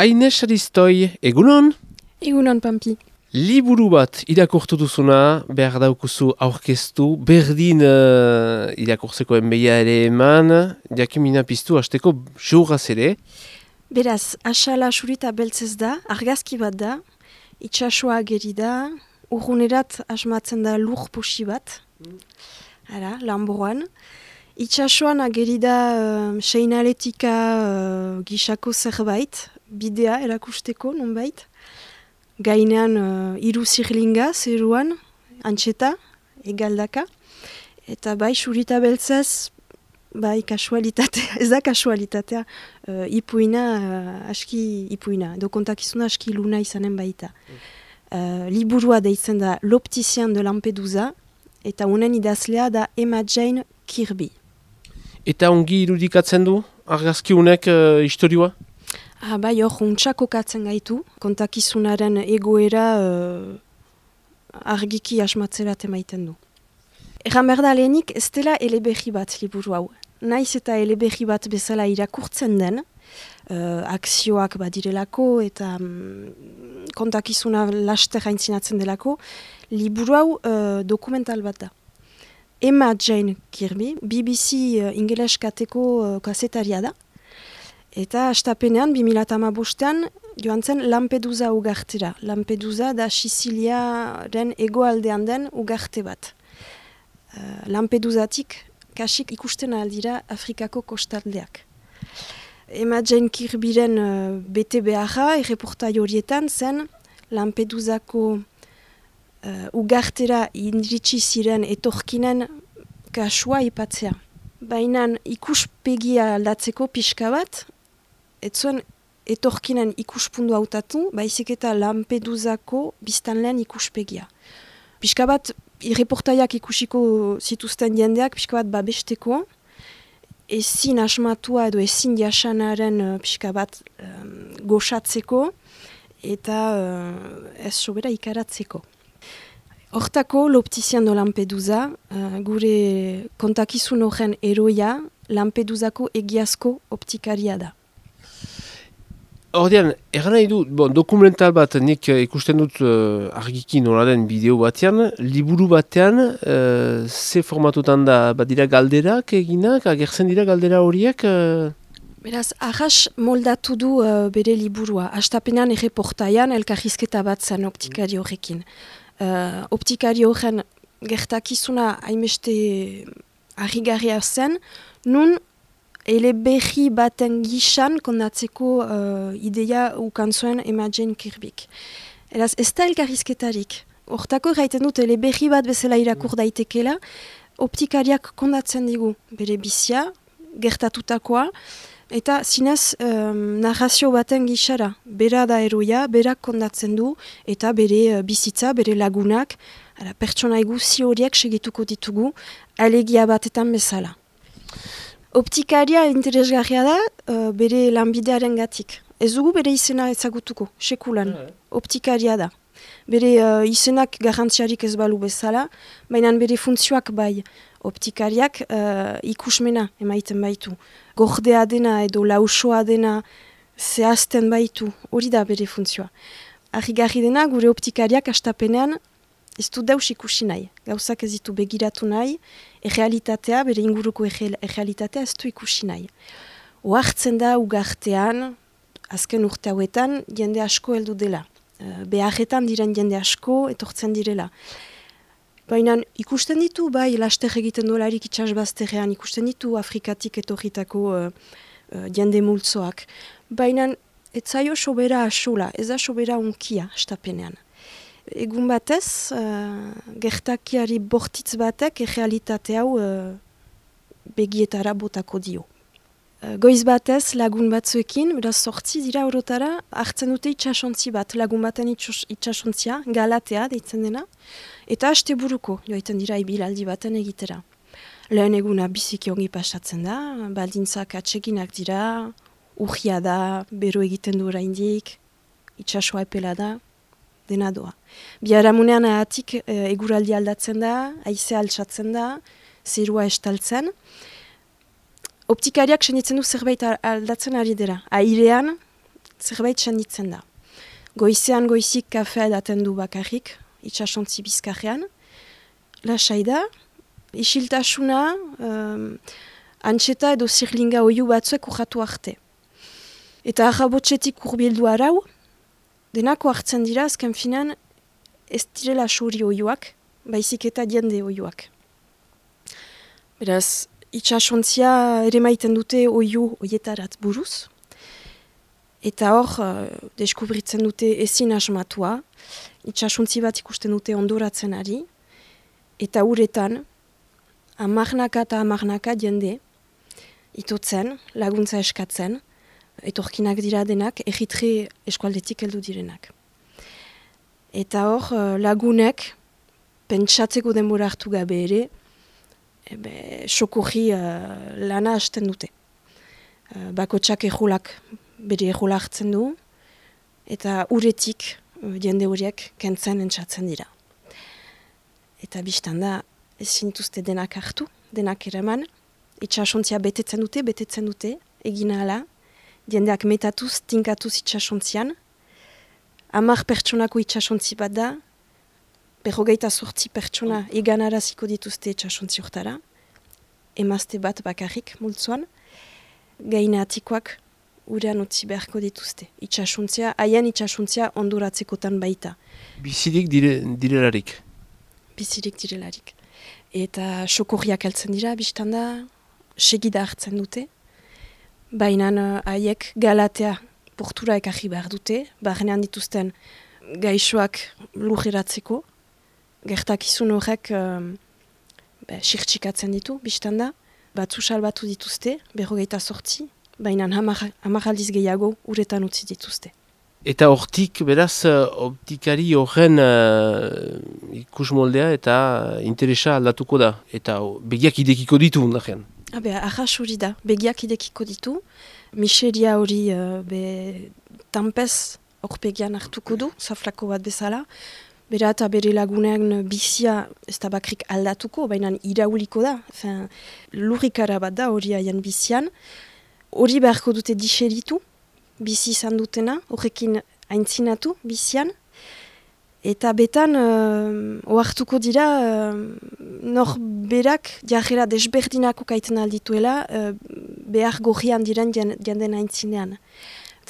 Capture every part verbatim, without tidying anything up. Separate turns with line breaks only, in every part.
Aines Aristoi, egunon?
Egunon, Pampi.
Liburu bat irakurtu duzuna, behar daukuzu aurkeztu, berdin uh, irakurtzeko enbeia ere eman, jakimina piztu hasteko seuraz ere.
Beraz, asala surita beltzez da, argazki bat da, itxasua ageri da, urrunerat asmatzen da lur posi bat, ara, lanboan. Itxasuan ageri da uh, seinaletika uh, gisako zerbait, bidea erakusteko nonbait. Gainean uh, iru zirlinga, zeruan, antxeta, egaldaka. Eta bai, surita beltzez, bai, kasualitatea, ez da kasualitatea, uh, ipuina, uh, aski ipuina, edo kontakizuna aski luna izanen baita. Uh, liburua deitzen da L'Opticien de Lampedusa, eta honen idazlea da Emma Jane Kirby.
Eta ongi irudikatzen du, argazki honek uh, historioa?
Ah, bai, hor, untxako katzen gaitu, kontakizunaren egoera uh, argiki asmatzerat emaiten du. Erran behar da lehenik, ez dela eleberri bat liburu hau. Naiz eta eleberri bat bezala irakurtzen den, uh, akzioak badirelako eta um, kontakizuna laster aintzinatzen delako, liburu hau uh, dokumental bat da. Emma Jane Kirby, B B C uh, ingeles kateko uh, kasetaria da, eta astapenean, bi mila hamabostean, joan zen Lampedusa ugartera. Lampedusa da Siziliaren hegoaldean den ugarte bat. Uh, Lampedusatik kasik ikusten aldira Afrikako kostaldeak. Emma Jane Kirbyren uh, bete beharra, erreportai horietan zen Lampedusako uh, ugartera indiritsi ziren etorkinen kasua ipatzea. Baina ikuspegia aldatzeko pixka bat, ez zuen etorkinen ikuspundu hautatu, baizik eta Lampedusako biztanleen ikuspegia. Pixka bat, irreportaiak ikusiko zituzten jendeak, pixka bat babesteko, ezin asmatua edo ezin jasanaren pixka bat um, goxatzeko, eta uh, ez sobera ikaratzeko. Hortako, L'Opticien de Lampedusa, uh, gure kontakizun horren eroia, Lampedusako egiazko optikaria da.
Ordean, erran nahi du, bon, dokumental bat nik uh, ikusten dut uh, argiki nola den bideo batean, liburu batean, uh, ze formatutan da, bat dira galderak eginak, agertzen dira galdera horiek? Uh...
Beraz, ahas moldatu du uh, bere liburua. Astapenean erreportaian elkarrizketa bat zen optikari horrekin. Uh, optikari horren gertakizuna haimeste harrigarria zen, nun eleberri baten gisan kondatzeko uh, ideia ukan zuen Emma Jane Kirbyk. Eraz, ez da elkarrizketarik. Hortako gaiten dut eleberri bat bezala irakur daitekela, optikariak kondatzen digu bere bizia, gertatutakoa, eta zinez um, narrazio baten gisara. Bera da eroia, berak kondatzen du, eta bere uh, bizitza, bere lagunak, ara, pertsona eguzi horiek segituko ditugu, alegia batetan bezala. Optikaria interesgarria da uh, bere lanbidearen gatik. Ez dugu bere izena ezagutuko, sekulan. Optikaria da. Bere uh, izenak garrantziarik ez balu bezala, baina bere funtzioak bai. Optikariak uh, ikusmena emaiten baitu. Gordea dena edo lausoa dena zehazten baitu, hori da bere funtzioa. Harrigarri dena gure optikariak astapenean ez du deus ikusi nahi. Gauzak ez ditu begiratu nahi, errealitatea, bere inguruko errealitatea ez du ikusi nahi. Oartzen da ugartean, azken urte hauetan, jende asko heldu dela. Uh, beharretan diren jende asko etortzen direla. Baina ikusten ditu, bai, laster egiten dolarik itxasbazterrean, ikusten ditu Afrikatik etorritako uh, uh, jende multzoak. Baina ez zaio sobera asola, ez da sobera unkia astapenean. Egun batez, uh, gertakiari bortitz batek errealitate hau uh, begietara botako dio. Uh, goiz batez lagun batzuekin, beraz sortzi dira orotara, hartzen dute itxasontzi bat, lagun baten itxasontzia, galatea deitzen dena, eta haste buruko joaiten dira ibilaldi baten egitera. Lehen eguna biziki ongi pasatzen da, baldintzak atseginak dira, urria da, bero egiten du oraindik, itxasoa epela da, dena doa. Biharamunean ahatik e, eguraldi aldatzen da, haize altsatzen da, zerua estaltzen. Optikariak senitzen du zerbait aldatzen ari dira. Airean, zerbait senditzen da. Goizean goizik kafea edaten du bakarrik, itsasontzi bizkarrean. Lasai da, isiltasuna, um, antxeta edo zirlinga oiu batzuek urratu arte. Eta arrabotxetik urbildu arau, denako hartzen dira, azken finan, ez direla suri oiuak, baizik eta jende oiuak. Beraz, itsasontzia ere maiten dute oiu oietarat buruz, eta hor, uh, deskubritzen dute ezin asmatua, itsasontzi bat ikusten dute ondoratzen ari, eta uretan, amarnaka eta amarnaka jende, itotzen, laguntza eskatzen, etorkinak dira denak, egitre eskualdetik heldu direnak. Eta hor, lagunek, pentsatzeko denbora hartu gabe ere, ebe, sokorri uh, lana hasten dute. Uh, bakotsak ejolak bere ejola hartzen du, eta uretik uh, jende horiek kentzen entzatzen dira. Eta biztan da, ezin dituzte denak hartu, denak eraman, itsasontzia betetzen dute, betetzen dute, egina hala, jendeak metatuz, tinkatuz itsasontzian, hamar pertsonako itsasontzi bat da, berrogeita sortzi pertsona eganaraziko dituzte itsasontzi hortara, emazte bat bakarrik multzoan, gaina atikoak urean utzi beharko dituzte. Itsasontzia, haien itsasontzia ondoratzekotan baita.
Bizirik dire, direlarik?
Bizirik direlarik. Eta sokorriak heltzen dira, biztan da, segida hartzen dute, baina haiek galatea portura ekarri behar dute, barnean dituzten gaixoak lujeratzeko, gertakizun horrek um, sirtxikatzen ditu, biztan da, batzu salbatu dituzte, berrogeita sortzi, baina hamar aldiz gehiago uretan utzi dituzte.
Eta hortik, beraz, optikari horren uh, ikus moldea eta interesa aldatuko da, eta begiak idekiko ditu undajean.
Habe, ahas hori da, begiak idekiko ditu, miseria hori uh, be, tampez horpegian hartuko du, zaflako bat bezala, bera eta bere lagunean bizia ez da bakrik aldatuko, baina irauliko da, fin, lurrikara bat da hori haien bizian, hori beharko dute diseritu, bizi izan dutena, horrekin aintzinatu bizian, eta betan uh, ohartuko dira uh, nor berak jarrera desberdinako kaiten aldituela uh, behar gorrian diren janden aintzinean.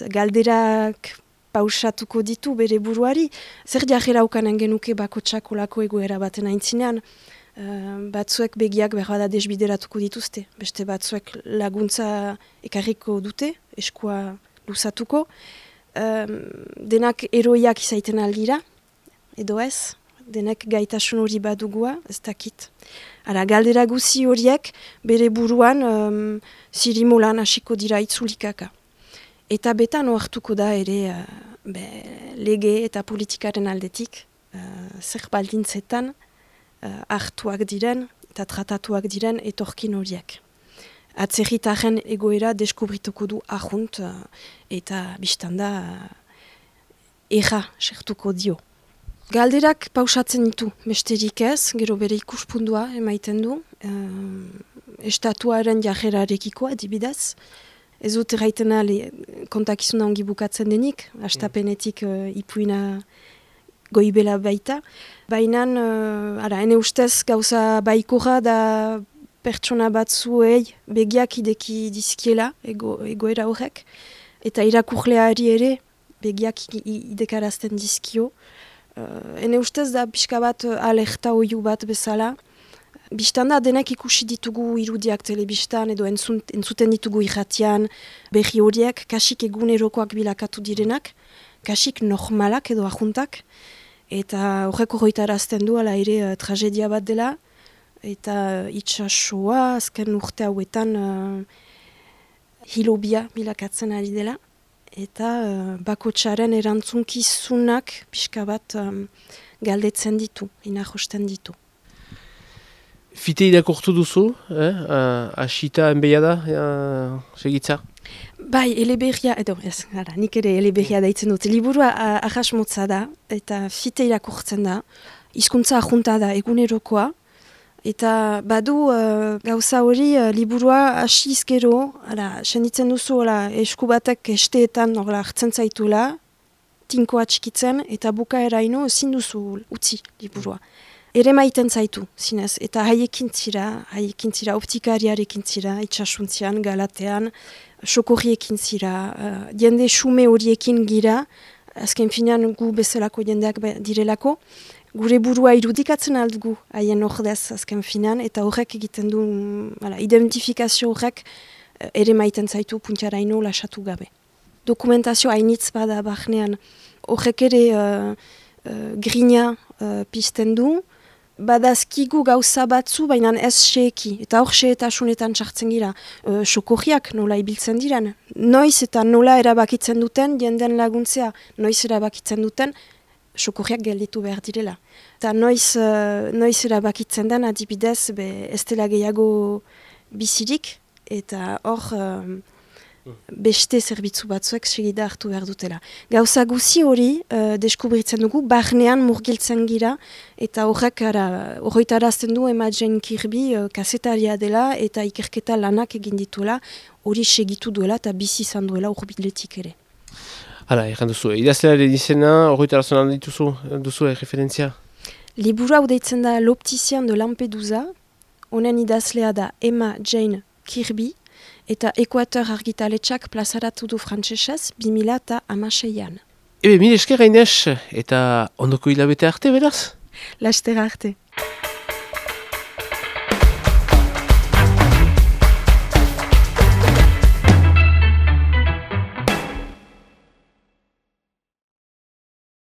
Galderak pausatuko ditu bere buruari, zer jarrera ukanen genuke bakotsak olako egoera baten aintzinean, uh, batzuek begiak behar da desbideratuko dituzte, beste batzuek laguntza ekarriko dute, eskua luzatuko, um, denak eroiak izaiten aldira, edo ez, denek gaitasun hori badugua, ez dakit. Ara, galdera guzi horiek, bere buruan, um, zirimolan hasiko dira itzulikaka. Eta betan ohartuko da ere, uh, be, lege eta politikaren aldetik, uh, zer baldintzetan, uh, hartuak diren, eta tratatuak diren etorkin horiek. Atzerritaren egoera deskubrituko du ahunt, uh, eta biztanda uh, erra sertuko dio. Galderak pausatzen ditu, besterik ez, gero bere ikuspundua emaiten du, uh, estatuaren jarrerarekiko adibidez, ez dut erraitena kontakizuna ongi bukatzen denik, hastapenetik uh, ipuina goibela baita, baina, uh, ara, ene ustez gauza baikorra da pertsona batzuei begiak ideki dizkiela ego, egoera horrek, eta irakurleari ere begiak idekarazten dizkio. Uh, ene ustez da pixka bat alerta oiu bat bezala. Bistan da denek ikusi ditugu irudiak telebistan edo entzunt, entzuten ditugu irratian berri horiek, kasik egunerokoak bilakatu direnak, kasik normalak edo ajuntak, eta horrek horretarazten du ala ere uh, tragedia bat dela, eta itsasoa azken urte hauetan uh, hilobia bilakatzen ari dela, eta uh, bakotsaren erantzunkizunak pixka bat um, galdetzen ditu, inajosten ditu.
Fite irakortu duzu, eh? uh, asita enbeia da, uh, segitza?
Bai, eleberria, edo, ez, gara, nik ere eleberria daitzen dut. Liburua uh, ahas motza da, eta fite irakortzen da, hizkuntza ajunta da egunerokoa, Eta badu uh, gauza hori uh, liburua hasiz gero, senditzen duzu ala, esku batek esteetan orla, hartzen zaitula, tinkoa txikitzen, eta bukaeraino ezin duzu utzi liburua. Ere maiten zaitu, zinez, eta haiekin zira, haiekin zira, optikariarekin zira, itxasuntzian, galatean, sokorriekin zira, uh, jende xume horiekin gira, azken finean gu bezalako jendeak direlako, gure burua irudikatzen aldugu haien ordez azken finean, eta horrek egiten du, ala, identifikazio horrek uh, ere maiten zaitu puntiaraino lasatu gabe. Dokumentazio hainitz bada bahnean, horrek ere uh, uh, grina uh, pizten du, badazkigu gauza batzu, baina ez xeeki, eta hor xeetasunetan sartzen gira, e, sokorriak nola ibiltzen diren. Noiz eta nola erabakitzen duten, jenden laguntzea, noiz erabakitzen duten, sokorriak gelditu behar direla. Eta noiz, uh, noiz erabakitzen den, adibidez, be, ez dela gehiago bizirik, eta hor uh, beste zerbitzu batzuek segida hartu behar dutela. Gauza guzi hori uh, deskubritzen dugu, barnean murgiltzen gira, eta horrek horretarazten du Emma Jane Kirby uh, kasetaria dela, eta ikerketa lanak egin dituela, hori segitu duela eta bizi izan duela urbiletik ere.
Hala, egin duzu, idazlearen izena, horretarazten dituzu, duzu referentzia?
Liburu hau deitzen da L'Opticien de Lampedusa, honen idazlea da Emma Jane Kirby, eta Ekuator argitaletxak plazaratu du frantsesez bi mila hamaseian.
Ebe, mire esker Gainez, eta ondoko hilabete arte, beraz?
Lastera arte.